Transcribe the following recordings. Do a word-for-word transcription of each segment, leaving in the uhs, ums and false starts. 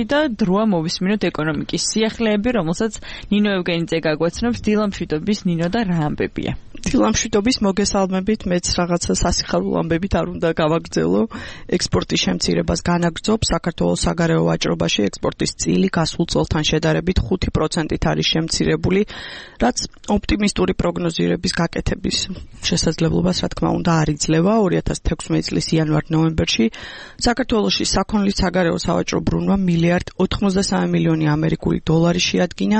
და დროა მოვისმინოთ ეკონომიკის სიახლეები, რომელსაც ნინო ევგენიძე გაგვაცნობს. დილამშვიდობის ნინო და რა ამბებია? დილამშვიდობის, მოგესალმებით, მეც რაღაცა სასიხარულო ამბებით არ უნდა გავაგრძელო. ექსპორტის შემცირებას განაგრძობ. საქართველოს საგარეო ვაჭრობაში ექსპორტის წილი გასულ წელთან შედარებით ხუთი პროცენტით არის შემცირებული, რაც ოპტიმისტური პროგნოზირების გაკეთების შესაძლებლობას, რა თქმა უნდა, არ იძლევა. ორი ათას თექვსმეტი წლის იანვარ-ნოემბერში საქართველოში საქონლის საგარეო სავაჭრო ბრუნვა მილიარდ ოთხმოცდასამი მილიონი ამერიკული დოლარი შეადგინა,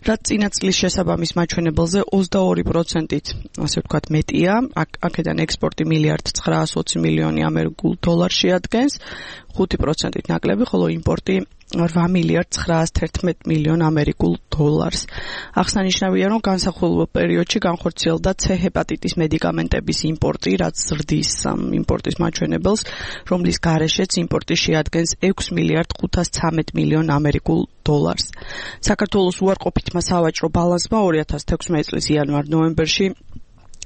რაც წინა წლის შესაბამის მაჩვენებელზე ოცდაორი პროცენტით ასე ვთქვათ მეტია. აქედან ექსპორტი მილიარდ ცხრაას ოცი მილიონი ამერიკულ დოლარს შეადგენს, ხუთი პროცენტით ნაკლები, ხოლო იმპორტი რვა მილიარდ ცხრაას თერთმეტ მილიონ ამერიკულ დოლარს. აღსანიშნავია, რომ განსახილველ პერიოდში განხორციელდა C ჰეპატიტის მედიკამენტების იმპორტი, რაც ზრდის იმპორტის მაჩვენებელს, რომლის გარეშეც იმპორტი შეადგენს ექვს მილიარდ ხუთას ცამეტ მილიონ ამერიკულ დოლარს. საქართველოს უარყოფითმა სავაჭრო ბალანსმა ორი ათას თექვსმეტი წლის იანვარ-ნოემბერში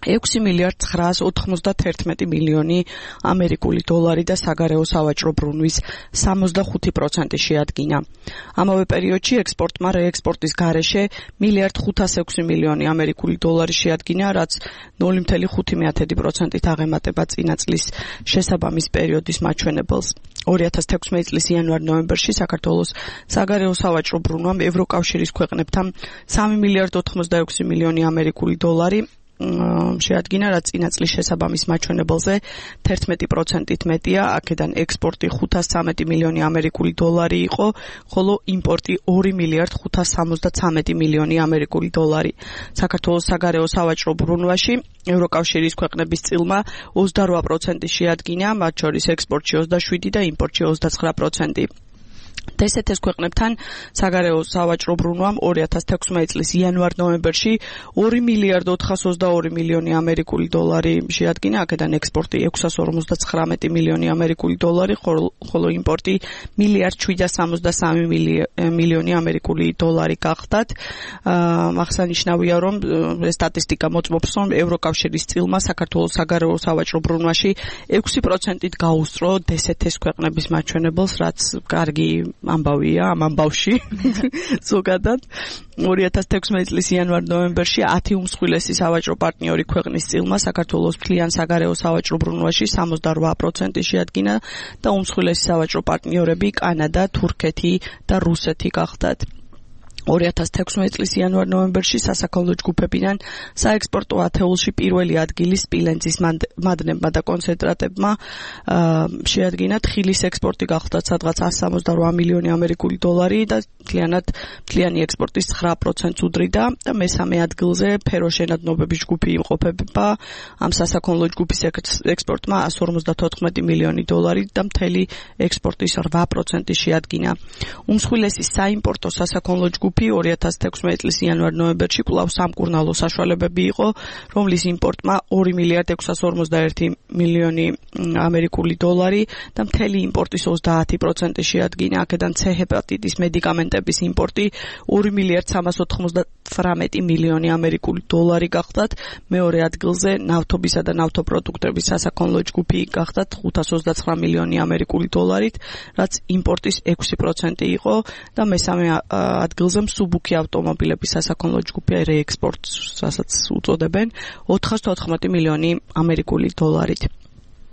ექვსი მილიარდ ცხრაას ოთხმოცდათერთმეტი მილიონი ამერიკული დოლარი და საგარეო სავაჭრო ბრუნვის სამოცდახუთი პროცენტი შეადგინა. ამავე პერიოდში ექსპორტმა რეექსპორტის გარეშე მილიარდ ხუთას ექვსი მილიონი ამერიკული დოლარი შეადგინა, რაც ნული მცდამლ ხუთი პროცენტით აღემატება წინა წლის შესაბამის პერიოდის მაჩვენებელს. ორი ათას თექვსმეტი წლის იანვარ-ნოემბერში საქართველოს საგარეო სავაჭრო ბრუნვამ ევროკავშირის ქვეყნებთან სამი მილიარდ ოთხმოცდაექვსი მილიონი ამერიკული დოლარი შეადგინა, რაც წინა წლის შესაბამის მაჩვენებელზე თერთმეტი პროცენტით მეტია. აქედან ექსპორტი ხუთას ცამეტი მილიონი ამერიკული დოლარი იყო, ხოლო იმპორტი ორი მილიარდ ხუთას სამოცდაცამეტი მილიონი ამერიკული დოლარი. საქართველოს საგარეო სავაჭრო ბრუნვაში ევროკავშირის ქვეყნების წილმა ოცდარვა პროცენტი შეადგინა, მათ შორის ექსპორტში ოცდაშვიდი და იმპორტში ოცდაცხრა პროცენტი. დსთ-ის ქვეყნებთან საგარეო სავაჭრო ბრუნვამ ორი ათას თექვსმეტი წლის იანვარ-ნოემბერში ორი მილიარდ ოთხას ოცდაორი მილიონი ამერიკული დოლარი შეადგინა, აქედან ექსპორტი ექვსას ორმოცდაცხრამეტი მილიონი ამერიკული დოლარი, ხოლო იმპორტი მილიარდ შვიდას სამოცდასამი მილიონი ამერიკული დოლარი გახდათ. აღსანიშნავია, რომ სტატისტიკა მოწმობს, რომ ევროკავშირის წილმა საქართველოს საგარეო სავაჭრო ბრუნვაში ექვსი პროცენტით გაუსწრო დსთ-ის ქვეყნების მაჩვენებელს, რაც კარგი ამბავია ამ ამბავში ზოგადად. ორი ათას თექვსმეტი წლის იანვარ-ნოემბერში ათი უმსხვილესი სავაჭრო პარტნიორი ქვეყნის წილმა საქართველოს მთლიან საგარეო სავაჭრო ბრუნვაში სამოცდარვა პროცენტი შეადგინა და უმსხვილესი სავაჭრო პარტნიორები კანადა, თურქეთი და რუსეთი გახდათ. ორი ათას თექვსმეტი წლის იანვარ-ნოემბერში სასაქონლო ჯგუფებიდან საექსპორტო ათეულში პირველი ადგილი სპილენძის მადნებმა და კონცენტრატებმა შეადგინა. თხილის ექსპორტი გახდათ სადღაც εκατს სამოცდარვა მილიონი ამერიკული დოლარი და მთლიანად მთლიანი ექსპორტის ცხრა პროცენტს უდრიდა და მესამე ადგილზე ფეროშენადნობების ჯგუფი იმყოფება. ამ სასაქონლო ჯგუფის ექსპორტმა εκατს ორმოცდათოთხმეტი მილიონი დოლარი და მთელი ექსპორტის რვა პროცენტი შეადგინა. უმსხვილესი საიმპორტო სასაქონლო ჯგუფი ორი ათას თექვსმეტი წლის იანვარ-ნოემბერში კვლავ სამკურნალო საშუალებები იყო, რომლის იმპორტმა ორი მილიარდ ექვსას ორმოცდაერთი მილიონი ამერიკული დოლარი და მთელი იმპორტის ოცდაათი პროცენტი შეადგინა. აქედან C ჰეპატიტის მედიკამენტების იმპორტი ორი მილიარდ სამას ოთხმოცდათვრამეტი მილიონი ამერიკული დოლარი გახდათ. მეორე ადგილზე ნავთობისა და ნავთობპროდუქტების სასაქონლო ჯგუფი გახდათ ხუთას ოცდაცხრა მილიონი ამერიკული დოლარით, რაც იმპორტის ექვსი პროცენტი იყო და მესამე ადგილზე მსუბუქი ავტომობილების სასაქონლო ჯგუფი რეექსპორტს, რასაც უწოდებენ, ოთხას თოთხმეტი მილიონი ამერიკული დოლარით.